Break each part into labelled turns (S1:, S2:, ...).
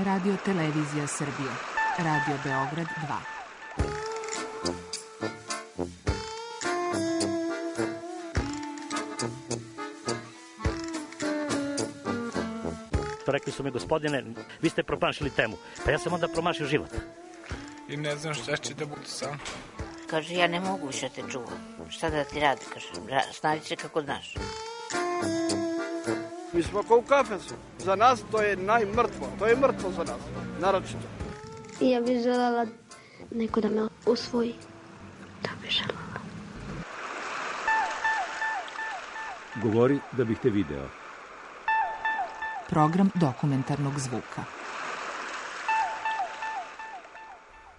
S1: Radio Televizija Srbije. Radio Beograd
S2: 2. Rekli su mi, gospodine, vi ste promašili temu. Pa ja sam onda promašio život.
S3: I ne znam šta će da bude sam.
S4: Kaže, ja ne mogu više te čuvam. Šta da ti radi, kaže, snađi se kako znaš.
S5: Mi smo kao u kafesu. Za nas to je najmrtvo. To je mrtvo za nas, naročito.
S6: Ja bih želela neko da me usvoji. Da bih želela.
S7: Govori da bih te video.
S1: Program dokumentarnog zvuka.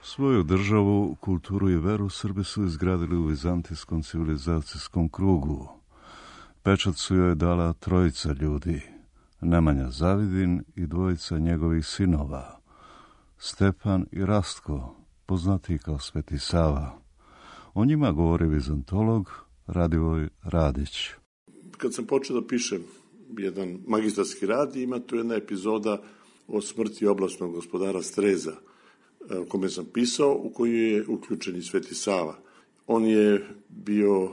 S8: Svoju državu, kulturu i veru Srbi su izgradili u vizantijskom civilizacijskom krugu. Pečat su joj dala trojica ljudi, Nemanja Zavidin i dvojica njegovih sinova, Stepan i Rastko, poznati kao Sveti Sava. O njima govori vizantolog Radivoj Radić.
S9: Kad sam počeo da pišem jedan magistarski rad, ima tu jedna epizoda o smrti oblasnog gospodara Streza, o kome sam pisao, u koju je uključen i Sveti Sava. On je bio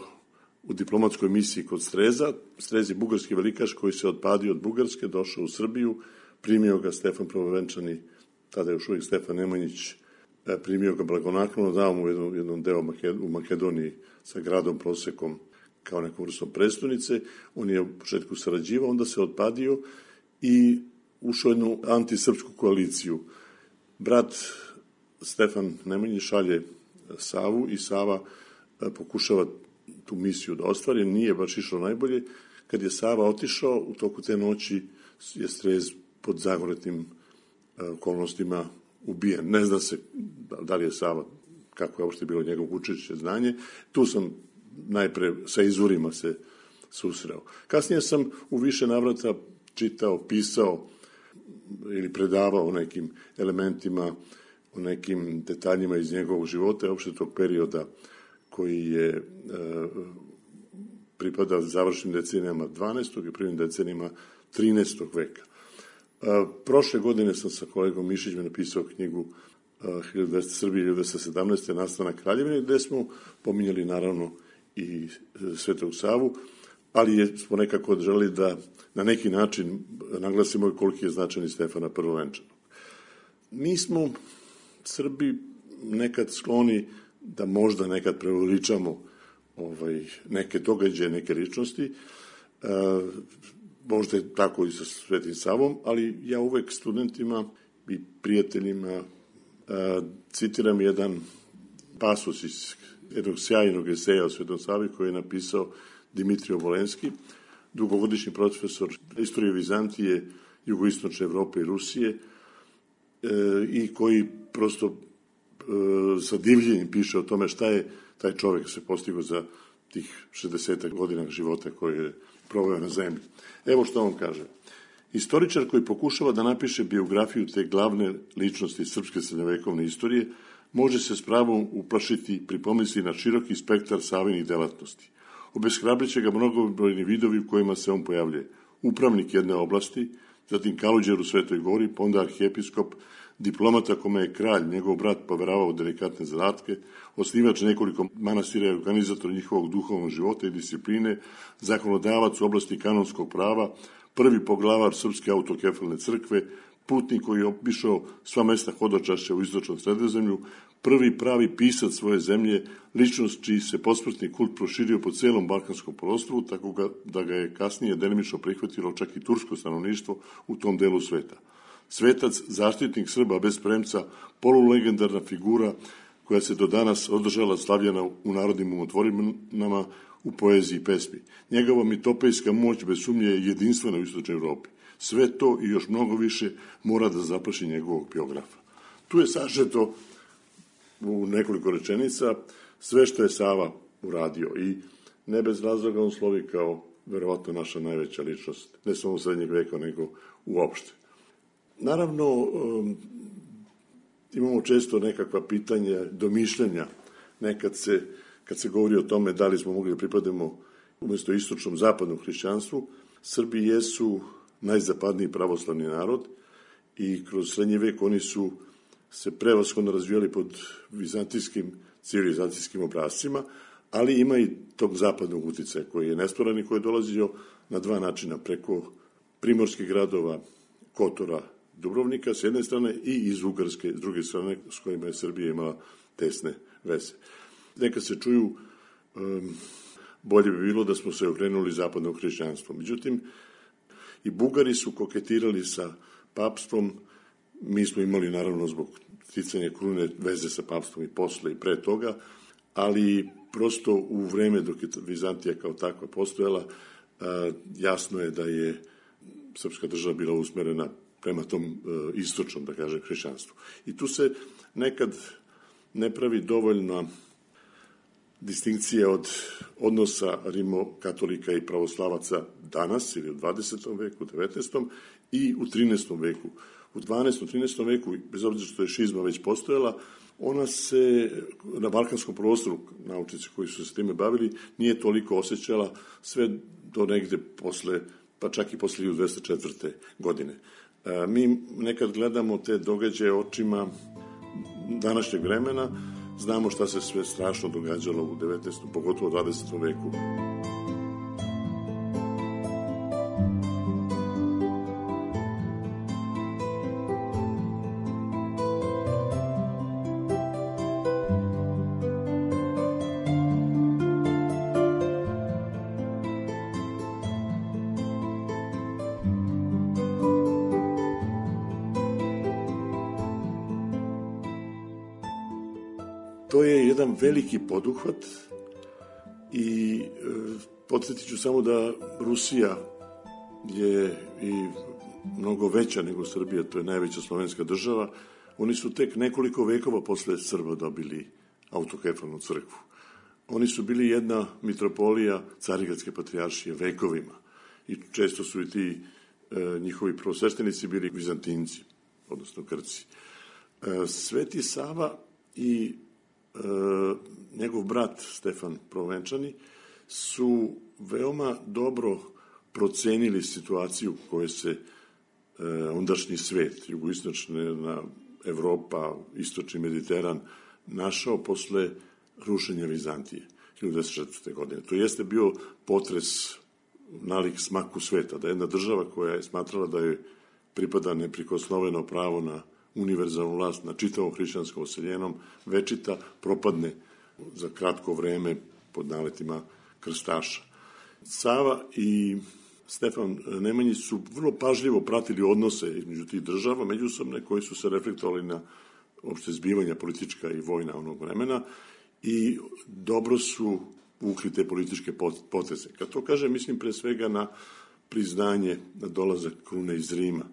S9: u diplomatskoj misiji kod Streza. Strez je bugarski velikaš koji se odpadio od Bugarske, došao u Srbiju, primio ga Stefan Prvovenčani, tada je još uvijek Stefan Nemanjić, primio ga blagonaklono, dao mu jedan deo u Makedoniji sa gradom Prosekom kao nekom vrstom prestonice. On je u početku sarađivao, onda se odpadio i ušao jednu antisrpsku koaliciju. Brat Stefan Nemanjić šalje Savu i Sava pokušava tu misiju da ostvari, nije baš išlo najbolje. Kad je Sava otišao, u toku te noći je Strez pod zagonetnim okolnostima ubijen. Ne zna se da li je Sava, kako je uopšte bilo njegovo učešće znanje. Tu sam najpre sa izvorima se susreo. Kasnije sam u više navrata čitao, pisao ili predavao o nekim elementima, o nekim detaljima iz njegovog života i uopšte tog perioda koji je pripada završnim decenijama 12. i prvim decenijama 13. veka. Prošle godine sam sa kolegom Mišićem napisao knjigu 1200 Srbije 1217. nastanak Kraljevine, gde smo pominjali naravno i Svetog Savu, ali smo nekako želeli da na neki način naglasimo koliki je značajni Stefana Prvovenčanog. Mi smo Srbi nekad skloni da možda nekad preuveličamo neke događaje, neke ličnosti, možda je tako i sa Svetim Savom, ali ja uvek studentima i prijateljima citiram jedan pasus iz jednog sjajnog eseja o Svetom Savi koji je napisao Dimitrij Obolenski, dugogodišnji profesor istorije Vizantije, jugoistočne Evrope i Rusije, i koji prosto sa divljenjem piše o tome šta je taj čovjek se postigao za tih 60 godina života koje je proveo na zemlji. Evo što on kaže. Istoričar koji pokušava da napiše biografiju te glavne ličnosti srpske srednjovekovne istorije može se s pravom uplašiti pri pomisli na široki spektar Savinih delatnosti. Obeshrabriće ga mnogobrojni vidovi u kojima se on pojavljuje. Upravnik jedne oblasti, zatim kaluđer u Svetoj Gori, pa onda arhijepiskop, diplomata kome je kralj, njegov brat, poveravao delikatne zadatke, osnivač nekoliko manastira i organizator njihovog duhovnog života i discipline, zakonodavac u oblasti kanonskog prava, prvi poglavar Srpske autokefalne crkve, putnik koji je obišao sva mesta hodočašća u istočnom Sredozemlju, prvi pravi pisac svoje zemlje, ličnost čiji se posmrtni kult proširio po celom Balkanskom poluostrvu, tako da ga je kasnije delimično prihvatilo čak i tursko stanovništvo u tom delu sveta. Svetac, zaštitnik Srba bez premca, polulegendarna figura koja se do danas održala slavljena u narodnim umotvorinama u poeziji i pesmi. Njegova mitopejska moć bez sumnje je jedinstvena u istočnoj Evropi. Sve to i još mnogo više mora da zaplaši njegovog biografa. Tu je sažeto u nekoliko rečenica sve što je Sava uradio i ne bez razloga on slovi kao verovatno naša najveća ličnost, ne samo u srednjeg veka, nego uopšte. Naravno, imamo često nekakva pitanja, domišljanja, nekad kad se govori o tome da li smo mogli da pripademo umjesto istočnom zapadnom hrišćanstvu. Srbi jesu najzapadniji pravoslavni narod i kroz srednji vek oni su se prevashodno razvijali pod vizantijskim civilizacijskim obrascima, ali ima i tog zapadnog uticaja koji je nesporan i koji je dolazio na dva načina, preko primorskih gradova Kotora, Dubrovnika s jedne strane i iz Ugarske s druge strane, s kojima je Srbija imala tesne veze. Neka se čuju, bolje bi bilo da smo se okrenuli zapadnom hrišćanstvu. Međutim, i Bugari su koketirali sa papstvom, mi smo imali naravno zbog sticanja krune veze sa papstvom i posle i pre toga, ali prosto u vreme dok je Vizantija kao takva postojala, jasno je da je srpska država bila usmerena prema tom istočnom, da kažem, hrišćanstvu. I tu se nekad ne pravi dovoljna distinkcija od odnosa rimokatolika i pravoslavaca danas, ili u 20. veku, 19. i u 13. veku. U 12. 13. veku, bez obzira što je šizma već postojala, ona se na balkanskom prostoru, naučnici koji su se time bavili, nije toliko osjećala sve do negde posle, pa čak i posle 1204. godine. Mi nekad gledamo te događaje očima današnjeg vremena, znamo šta se sve strašno događalo u 19. pogotovo u 20. veku. To je jedan veliki poduhvat i podsjetit ću samo da Rusija je i mnogo veća nego Srbija, to je najveća slovenska država. Oni su tek nekoliko vekova posle Srba dobili autokefalnu crkvu. Oni su bili jedna mitropolija Carigradske patrijaršije vekovima i često su i ti njihovi prvosveštenici bili Vizantinci, odnosno Grci. Sveti Sava i njegov brat Stefan Provančani su veoma dobro procenili situaciju u kojoj se ondašnji svet, jugoistočna Evropa, istočni Mediteran, našao posle rušenja Vizantije 1904. godine. To jeste bio potres nalik smaku sveta, da jedna država koja je smatrala da joj pripada neprikosnoveno pravo na univerzalnu vlast na čitavom hrišćanskom oseljenom, večita propadne za kratko vreme pod naletima krstaša. Sava i Stefan Nemanjić su vrlo pažljivo pratili odnose između tih država, međusobne, koji su se reflektovali na opšte zbivanja politička i vojna onog vremena i dobro su vukli te političke poteze. Kad to kažem, mislim pre svega na priznanje, na dolazak krune iz Rima.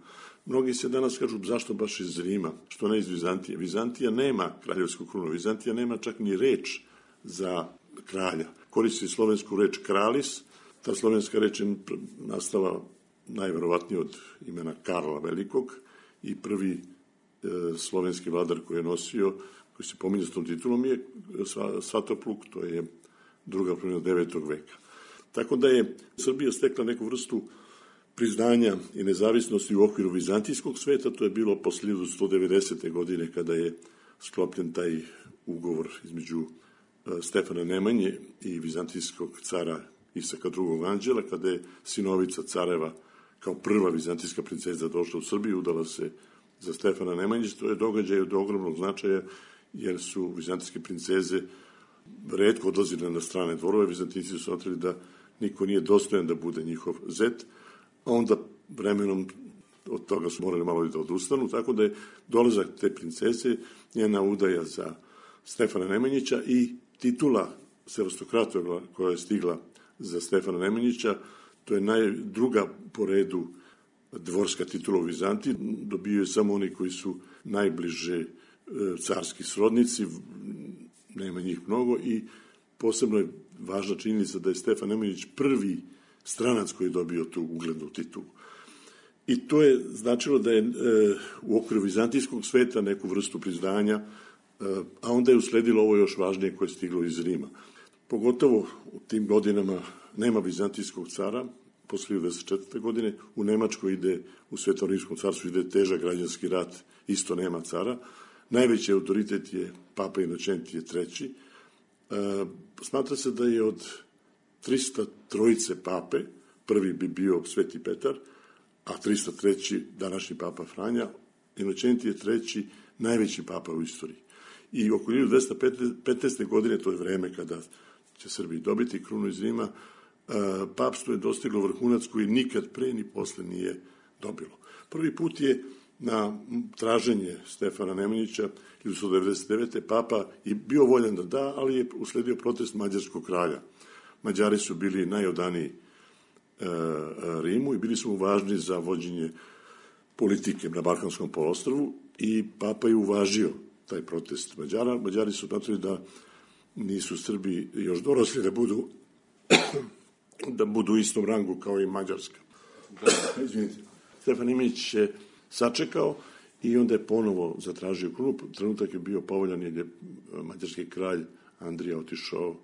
S9: Mnogi se danas kažu zašto baš iz Rima, što ne iz Vizantije. Vizantija nema kraljevsku krunu, Vizantija nema čak ni reč za kralja. Koristi slovensku reč kralis, ta slovenska reč je nastala najverovatnije od imena Karla Velikog i prvi slovenski vladar koji je nosio, koji se pominje s tom titulom je Svatopluk, to je druga polovina 9. veka. Tako da je Srbija stekla neku vrstu priznanja i nezavisnosti u okviru vizantijskog sveta, to je bilo posle 1190. godine kada je sklopljen taj ugovor između Stefana Nemanje i vizantijskog cara Isaka II. Anđela, kada je sinovica careva kao prva vizantijska princeza došla u Srbiju, udala se za Stefana Nemanjić. To je događaj od ogromnog značaja, jer su vizantijske princeze retko odlazile na strane dvorove. Vizantinci su smatrali da niko nije dostojan da bude njihov zet, a onda vremenom od toga su morali malo da odustanu, tako da je dolazak te princeze, njena udaja za Stefana Nemanjića i titula sevastokrata koja je stigla za Stefana Nemanjića, to je druga po redu dvorska titula u Vizantiji, dobiju je samo oni koji su najbliže carski srodnici, nema njih mnogo i posebno je važna činjenica da je Stefan Nemanjić prvi stranac koji je dobio tu uglednu titulu. I to je značilo da je u okviru vizantijskog sveta neku vrstu priznanja, a onda je usledilo ovo još važnije koje je stiglo iz Rima. Pogotovo u tim godinama nema vizantijskog cara, posle 1904. godine, u Nemačkoj ide, u Svetom rimskom carstvu ide težak građanski rat, isto nema cara. Najveći autoritet je Papa Inočentije III. Smatra se da je od 303 pape, prvi bi bio Sveti Petar, a 303. današnji Papa Franja, Inočentije III. Najveći papa u istoriji. I oko 1215. godine, to je vreme kada će Srbiji dobiti krunu iz Rima, papstvo je dostiglo vrhunac koji nikad pre ni posle nije dobilo. Prvi put je na traženje Stefana Nemanjića 1199. papa je bio voljan da da, ali je usledio protest mađarskog kralja. Mađari su bili najodaniji Rimu i bili su mu važni za vođenje politike na Balkanskom poluostrvu i papa je uvažio taj protest Mađara. Mađari su smatrali da nisu Srbi još dorosli da budu u istom rangu kao i Mađarska. Stefan Nemanjić je sačekao i onda je ponovo zatražio krunu. Trenutak je bio povoljan jer je mađarski kralj Andrija otišao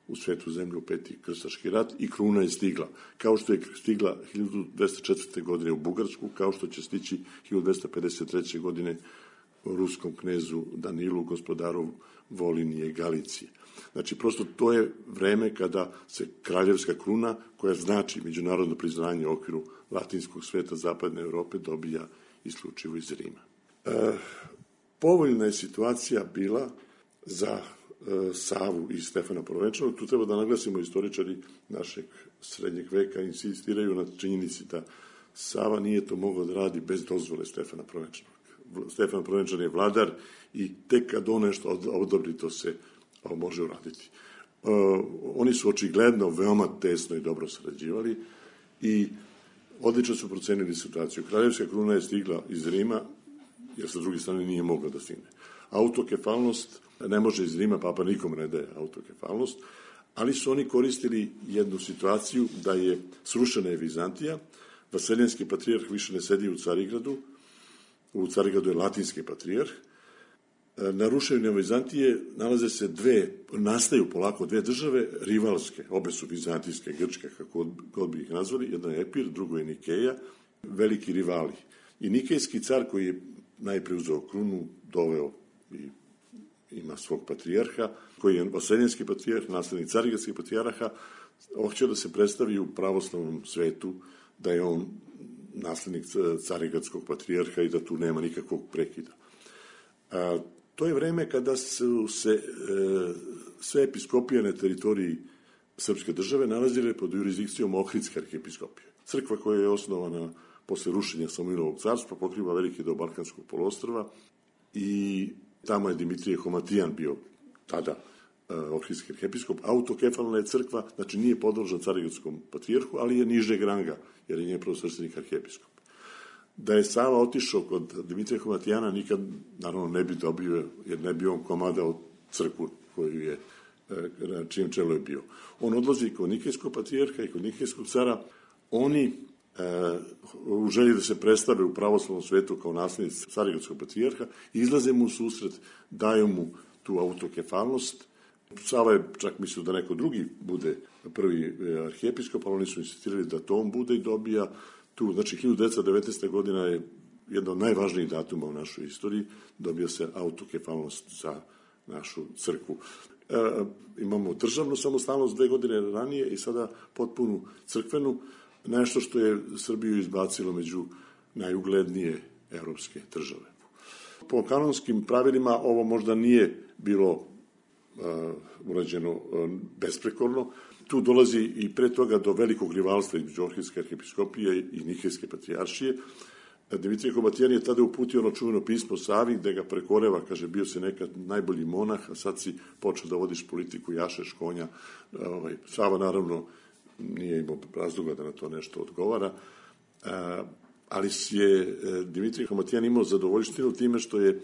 S9: u Svetu zemlju u Peti krstaški rat i kruna je stigla. Kao što je stigla 1204. godine u Bugarsku, kao što će stići 1253. godine ruskom knezu Danilu, gospodaru Volinije i Galicije. Znači, prosto to je vreme kada se kraljevska kruna, koja znači međunarodno priznanje u okviru latinskog sveta zapadne Evrope, dobija isključivo iz Rima. Povoljna je situacija bila za Savu i Stefana Prvenčanog. Tu treba da naglasimo, istoričari našeg srednjeg veka insistiraju na činjenici da Sava nije to mogao da radi bez dozvole Stefana Prvenčanog. Stefan Prvenčan je vladar i tek kad on nešto odobri, to se može uraditi. Oni su očigledno veoma tesno i dobro sarađivali i odlično su procenili situaciju. Kraljevska kruna je stigla iz Rima, jer sa druge strane nije mogla da stigne. Autokefalnost ne može iz Rima, papa nikom ne daje autokefalnost, ali su oni koristili jednu situaciju da je srušena je Vizantija, vaseljenski patrijarh više ne sedi u Carigradu je latinski patrijarh, na rušenju Vizantije nastaju polako dve države rivalske, obe su vizantijske, grčke, kako god bi ih nazvali, jedna je Epir, drugo je Nikeja, veliki rivali. I nikejski car koji je najpre uzeo krunu, doveo i ima svog patrijarha, koji je vaseljenski patrijarh, naslednik carigradskih patrijarha, hoće da se predstavi u pravoslavnom svetu da je on naslednik carigradskog patrijarha i da tu nema nikakvog prekida. To je vreme kada su se sve episkopije na teritoriji srpske države nalazile pod jurisdikcijom Ohridske arhijepiskopije. Crkva koja je osnovana posle rušenja Samoilovog carstva pokriva veliki deo Balkanskog poluostrva i tamo je Dimitrije Homatijan bio tada Ohridski arhijepiskop. Autokefalna je crkva, znači nije podložna carigradskom patrijarhu, ali je nižeg ranga, jer je njen prvosrstvenik arhijepiskop. Da je Sava otišao kod Dimitrija Homatijana, nikad, naravno, ne bi dobio, jer ne bi on komadao crkvu koju je, na čijem čelu je bio. On odlazi kod nikejskog patrijarha i kod nikejskog cara. Oni, u želji da se predstave u pravoslavnom svetu kao naslednici carigradskog patrijarha, izlaze mu u susret, daju mu tu autokefalnost. Sava je čak mislio da neko drugi bude prvi arhijepiskop, ali oni su insistirali da to on bude i dobija tu, znači 1919. godina je jedna od najvažnijih datuma u našoj istoriji, dobija se autokefalnost za našu crkvu. Imamo državnu samostalnost 2 godine ranije i sada potpunu crkvenu, nešto što je Srbiju izbacilo među najuglednije evropske države. Po kanonskim pravilima ovo možda nije bilo urađeno besprekorno. Tu dolazi i pre toga do velikog rivalstva između Ohridske arhijepiskopije i Nikejske patrijaršije. Dimitrije Homatijan je tada uputio ono čuveno pismo Savi, gde ga prekoreva, kaže, bio si nekad najbolji monah, a sad si počeo da vodiš politiku, jašeš konja. Sava, naravno, nije imao razloga da na to nešto odgovara, ali je Dimitrije Homatijan imao zadovoljštinu time što je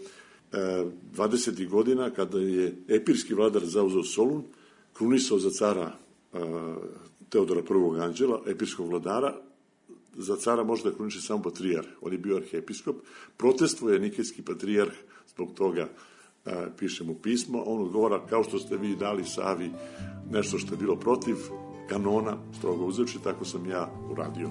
S9: 20. godina, kada je epirski vladar zauzeo Solun, krunisao za cara Teodora I. Anđela, epirskog vladara. Za cara može da kruniše samo patrijarh, on je bio arhijepiskop. Protestvuje nikejski patrijarh, zbog toga piše mu pismo, on odgovara, kao što ste vi dali Savi nešto što je bilo protiv, kanona strogo uzevši, tako sam ja uradio.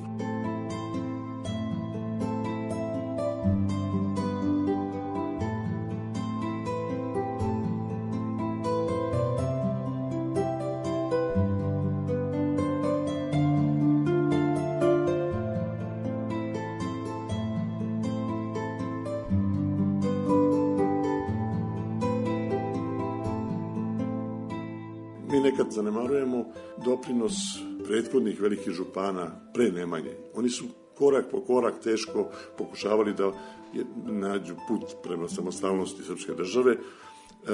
S9: Mi nekad zanemarujemo doprinos prethodnih velikih župana pre Nemanje. Oni su korak po korak teško pokušavali da nađu put prema samostalnosti srpske države.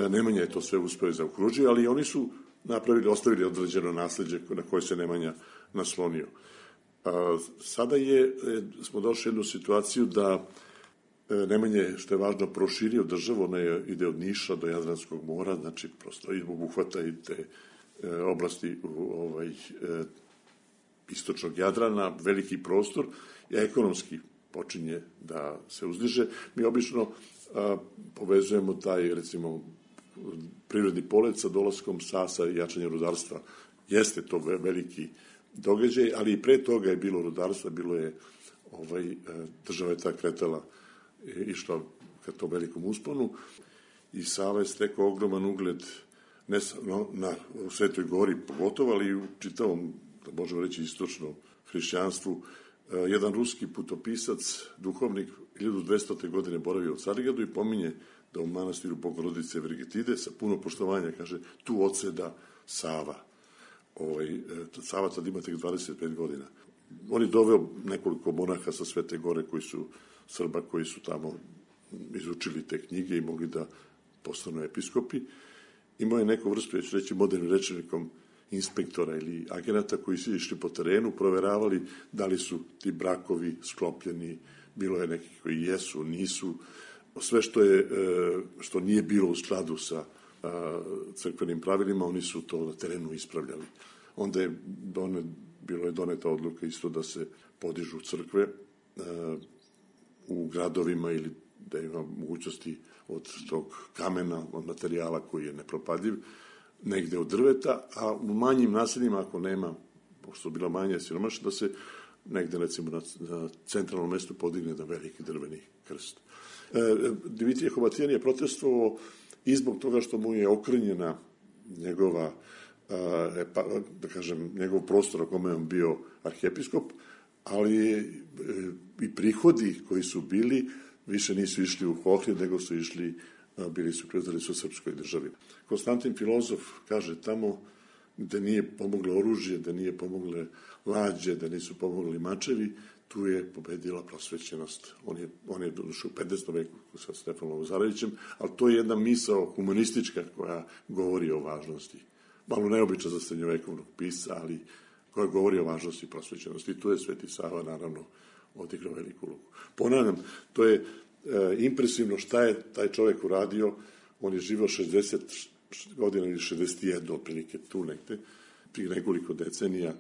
S9: Nemanja je to sve uspeo i zaokružio, ali oni su ostavili određeno nasleđe na koje se Nemanja naslonio. Sada smo došli u jednu situaciju da Nemanja je, što je važno, proširio državu, ona ide od Niša do Jadranskog mora, znači prosto i obuhvata i te oblasti istočnog Jadrana, veliki prostor, i ekonomski počinje da se uzdiže. Mi obično povezujemo taj, recimo, prirodni polet sa dolaskom Sasa i jačanjem rudarstva. Jeste to veliki događaj, ali i pre toga je bilo rudarstva, bilo je, država je ta kretala, išla ka tom velikom usponu i Sava je stekao ogroman ugled ne samo u Svetoj Gori pogotovo, ali i u čitavom, da možemo reći, istočnom hrišćanstvu. Jedan ruski putopisac, duhovnik, 1200. godine boravio u Carigradu i pominje da u manastiru Bogorodice Vergetide sa puno poštovanja, kaže, tu odseda Sava. Sava tad ima tek 25 godina. On je doveo nekoliko monaha sa Svete Gore Srba koji su tamo izučili te knjige i mogli da postanu episkopi. Imao je neku vrstu, ja ću reći modernim rečenikom, inspektora ili agenata koji su išli po terenu, proveravali da li su ti brakovi sklopljeni, bilo je nekih koji jesu, nisu. Sve što nije bilo u skladu sa crkvenim pravilima, oni su to na terenu ispravljali. Onda je bilo je doneta odluka isto da se podižu crkve u gradovima ili da ima mogućnosti od tog kamena, od materijala koji je nepropadljiv, negde od drveta, a u manjim naseljima, ako nema, pošto su bila manje siromašna, da se negde, recimo, na centralnom mestu podigne da veliki drveni krst. Dimitrije Hovatijan je protestovao i zbog toga što mu je okrnjena njegova, da kažem, njegov prostor na kome je on bio arhijepiskop, ali i prihodi koji su bili više nisu išli u Ohrid, nego su išli, predali su srpskoj državi. Konstantin Filozof kaže tamo da nije pomoglo oružje, da nije pomogle lađe, da nisu pomogli mačevi, tu je pobedila prosvećenost. On je došao u 15. veku sa Stefanom Lazarevićem, ali to je jedna misao humanistička koja govori o važnosti. Malo neobična za srednjovekovnog pisca, ali koja govori o važnosti prosvećenosti. I tu je Sveti Sava, naravno, odigrao veliku ulogu. Ponavljam, to je impresivno šta je taj čovek uradio. On je živao 60 godina ili 61, otprilike tu negde, prije nekoliko decenija,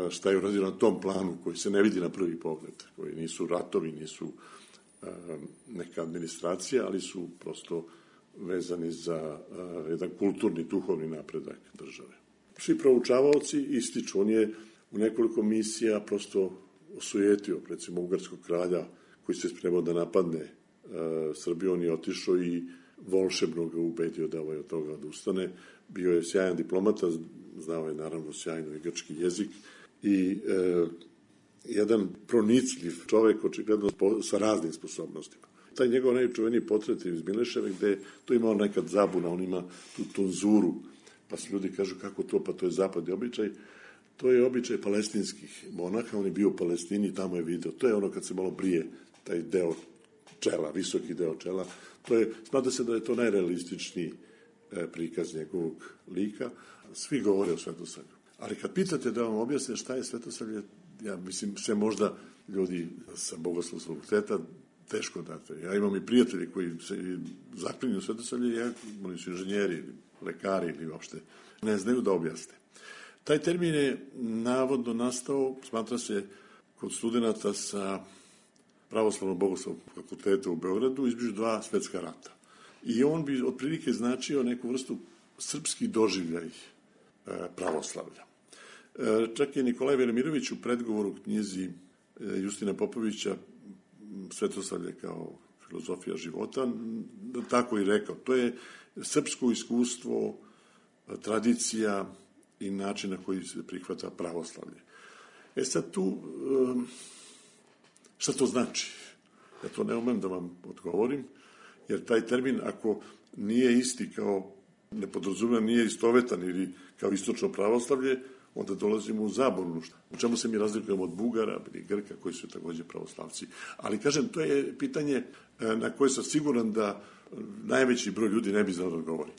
S9: šta je uradio na tom planu koji se ne vidi na prvi pogled, koji nisu ratovi, nisu neka administracija, ali su prosto vezani za jedan kulturni, duhovni napredak države. Svi proučavaoci ističu, on je u nekoliko misija prosto osujetio, recimo, ugarskog kralja koji se spremao da napadne Srbiju, on je otišao i volšebno ga ubedio da od toga odustane. Bio je sjajan diplomata, znao je naravno sjajno i grčki jezik i jedan pronicljiv čovek, očigledno sa raznim sposobnostima. Taj njegov najčuveniji portret iz Mileševe, gde to imao nekad zabuna, on ima tu tonzuru, pa se ljudi kažu kako to, pa to je zapadni običaj. To je običaj palestinskih monaha, on je bio u Palestini, tamo je video. To je ono kad se malo brije taj deo čela, visoki deo čela. Smatra se da je to najrealističniji prikaz njegovog lika. Svi govore o Svetosavlju. Ali kad pitate da vam objasne šta je Svetosavlje, ja mislim, sve možda ljudi sa Bogoslovskog fakulteta teško date. Ja imam i prijatelji koji se zaklinju Svetosavlje, oni su inženjeri, lekari ili uopšte ne znaju da objasne. Taj termin je navodno nastao, smatra se, kod studenta sa Pravoslavnog Bogoslovskog fakulteta u Beogradu između dva svetska rata. I on bi otprilike značio neku vrstu srpski doživljaj pravoslavlja. Čak i Nikolaj Velimirović u predgovoru knjizi Justina Popovića Svetosavlje kao filozofija života, tako i rekao. To je srpsko iskustvo, tradicija i način na koji se prihvata pravoslavlje. Sad tu, šta to znači? Ja to ne umem da vam odgovorim, jer taj termin, ako nije isti kao nepodrazumljivan, nije istovetan ili kao istočno pravoslavlje, onda dolazimo u zabunu. U čemu se mi razlikujemo od Bugara ili Grka, koji su takođe pravoslavci. Ali, kažem, to je pitanje na koje sam siguran da najveći broj ljudi ne bi znao da odgovori.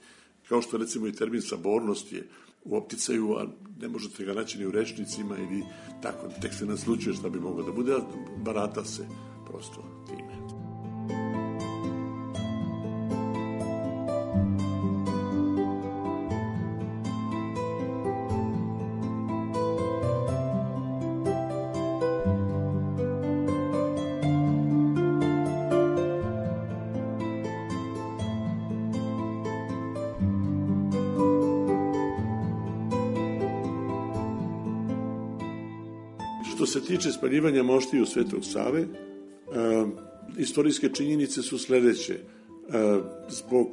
S9: Kao što, recimo, i termin sabornost je u opticaju, a ne možete ga naći ni u rečnicima ili tako, tek se naslučuje šta bi moglo da bude, a barata se prosto time. Što se tiče spaljivanja moštiju Svetog Save, istorijske činjenice su sledeće. Zbog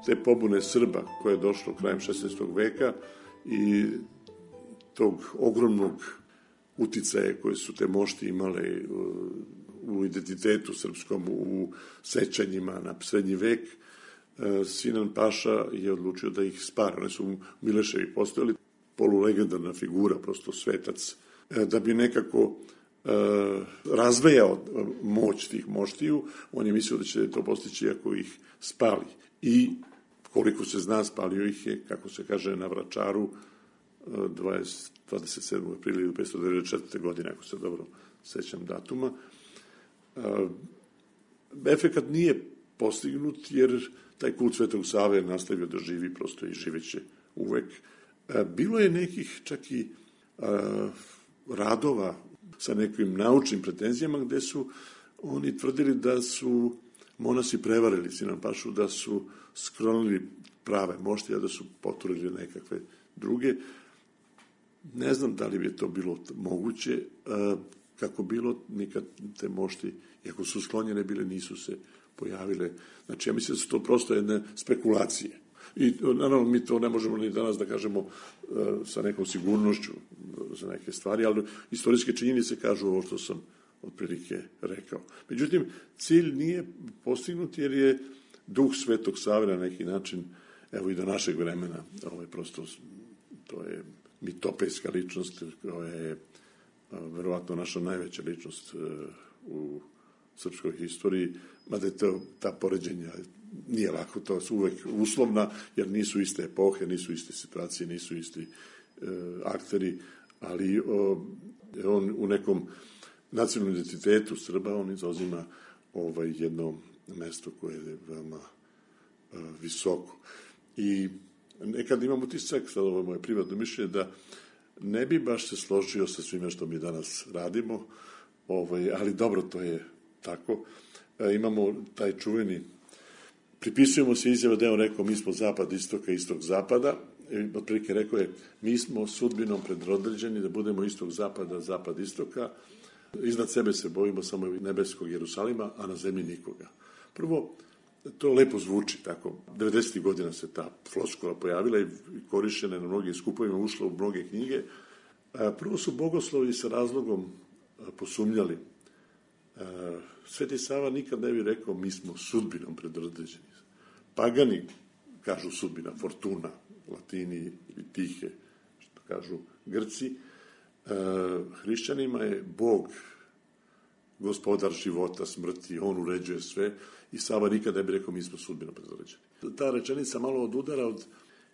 S9: te pobune Srba koje je došlo krajem 16. veka i tog ogromnog uticaja koje su te mošti imale u identitetu srpskom, u sećanjima na srednji vek, Sinan Paša je odlučio da ih spara. Oni su u Mileševi postojali, polulegendarna figura, prosto svetac, da bi nekako razvejao moć tih moštiju. On je mislio da će to postići ako ih spali. I koliko se zna, spalio ih je, kako se kaže, na Vračaru 27. aprila 1594. godine, ako se dobro sećam datuma. Efekat nije postignut, jer taj kult Svetog Save nastavio da živi, prosto i živeće uvek. Bilo je nekih čak i radova sa nekim naučnim pretenzijama gde su oni tvrdili da su monasi prevarili Sinan Pašu, da su sklonili prave moštije, da su poturili nekakve druge. Ne znam da li bi to bilo moguće, kako bilo, nikad te mošti, iako su sklonjene bile, nisu se pojavile. Znači, ja mislim da su to prosto jedne spekulacije. I naravno mi to ne možemo ni danas da kažemo sa nekom sigurnošću za neke stvari, ali istorijske činjenice kažu ovo što sam otprilike rekao. Međutim, cilj nije postignut jer je duh Svetog Save na neki način, evo i do našeg vremena, prosto to je mitopejska ličnost koja je verovatno naša najveća ličnost u srpskoj historiji, mada je ta poređenja nije lako, to su uvek uslovna, jer nisu iste epohe, nisu iste situacije, nisu isti akteri, ali on u nekom nacionalnom identitetu Srba, on zauzima jedno mesto koje je veoma visoko. I nekad imam utisak, sad ovo je moje privatno mišljenje, da ne bi baš se složio sa svime što mi danas radimo, ali dobro, to je tako. Imamo taj čuveni, pripisujemo se izjava da je on rekao mi smo zapad istoka, istok zapada, otprilike rekao je mi smo sudbinom predodređeni da budemo istok zapada, zapad istoka, iznad sebe se bojimo samo nebeskog Jerusalima, a na zemlji nikoga. Prvo, to lepo zvuči tako. 90. godina se ta floskula pojavila i korišćena na mnogim skupovima, ušla u mnoge knjige. Prvo su bogoslovi sa razlogom posumnjali. Sveti Sava nikad ne bi rekao mi smo sudbinom predodređeni. Pagani kažu sudbina, fortuna, Latini ili tihe, što kažu Grci. Hrišćanima je Bog gospodar života, smrti, on uređuje sve i Sava nikad ne bi rekao mi smo sudbinom predodređeni. Ta rečenica malo odudara od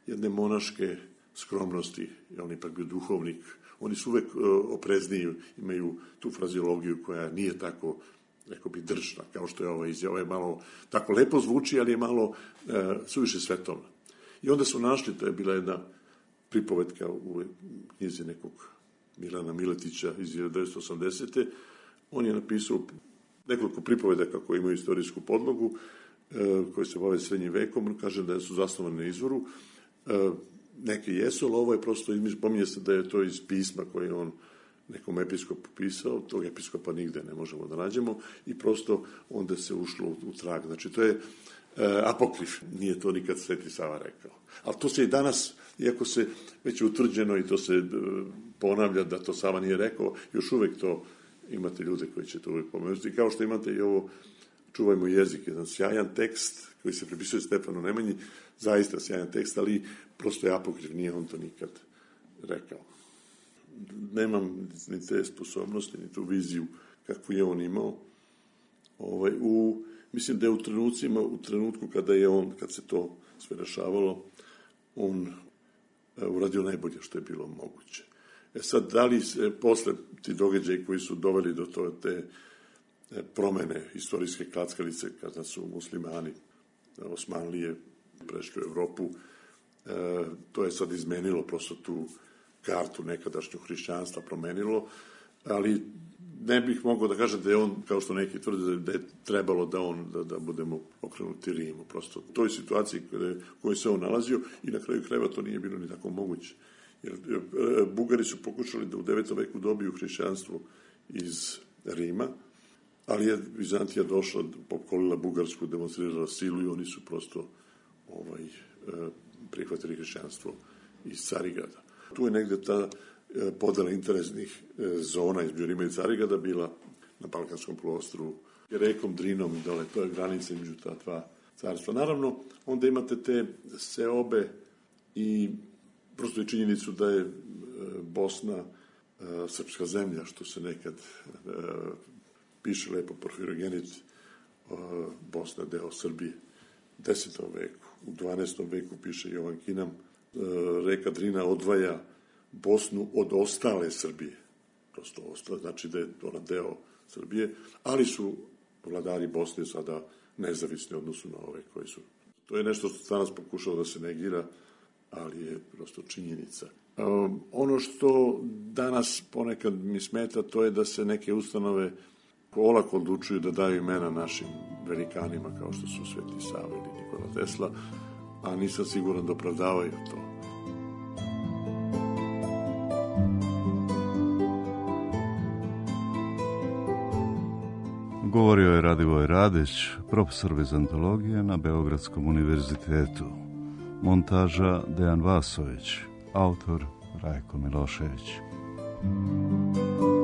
S9: jedne monaške skromnosti, on je ipak bio duhovnik, oni su uvek oprezniji, imaju tu fraziologiju koja nije tako, rekao bi, držna, kao što je ova izjava, je malo, tako lepo zvuči, ali je malo suviše svetovna. I onda su našli, to je bila jedna pripovetka u knjizi nekog Milana Miletića iz 1980. On je napisao nekoliko pripovedaka koje imaju istorijsku podlogu, koje se bave srednjim vekom, kaže da su zasnovane na izvoru. neke jesu, ali ovo je prosto, pominje se da je to iz pisma koje on nekom episkopu pisao, tog episkopa nigde ne možemo da nađemo i prosto onda se ušlo u trag. Znači, to je apokrif, nije to nikad Sveti Sava rekao. Ali to se i danas, iako se već je utvrđeno i to se ponavlja da to Sava nije rekao, još uvek to imate ljude koji će to uvek pomenuti. I kao što imate i ovo Čuvajmo jezik, jedan sjajan tekst koji se pripisuje Stefanu Nemanji, zaista sjajan tekst, ali prosto je apokrif, nije on to nikad rekao. Nemam ni te sposobnosti, ni tu viziju kakvu je on imao. Mislim da je u trenutku kad se to sve rešavalo, on uradio najbolje što je bilo moguće. Sad, da li se posle ti događaji koji su doveli do te promene istorijske klackalice, kada su muslimani, Osmanlije, prešli u Evropu, to je sad izmenilo prosto tu kartu nekadašnju hrišćanstva, promenilo, ali ne bih mogao da kažem da je on, kao što neki tvrde, da je trebalo da budemo okrenuti Rimu. Prosto u toj situaciji u kojoj se on nalazio i na kraju krajeva to nije bilo ni tako moguće. Jer Bugari su pokušali da u 9. veku dobiju hrišćanstvo iz Rima, ali je Vizantija došla, pokolila Bugarsku, demonstrirala silu i oni su prosto prihvatili hrišćanstvo iz Carigrada. Tu je negde ta podela interesnih zona između Rima i Carigrada bila na Balkanskom poluostrvu, rekom Drinom i dole, to je granica između ta dva carstva. Naravno, onda imate te seobe i prosto je činjenicu da je Bosna srpska zemlja, što se nekad piše lepo Porfirogenit, Bosna deo Srbije, 10. veku. U 12. veku piše Jovan Kinam, reka Drina odvaja Bosnu od ostale Srbije. Prosto ostale, znači da je ona deo Srbije, ali su vladari Bosne sada nezavisni odnosu na ove koji su. To je nešto što danas pokušao da se negira, ali je prosto činjenica. Ono što danas ponekad mi smeta, to je da se neke ustanove olako odlučuju da daju imena našim velikanima, kao što su Sveti Sava ili Nikola Tesla, a nisam siguran da opravdavaju to.
S8: Govorio je Radivoj Radić, profesor vizantologije na Beogradskom univerzitetu. Montaža Dejan Vasović, autor Rajko Milošević.
S10: Thank you.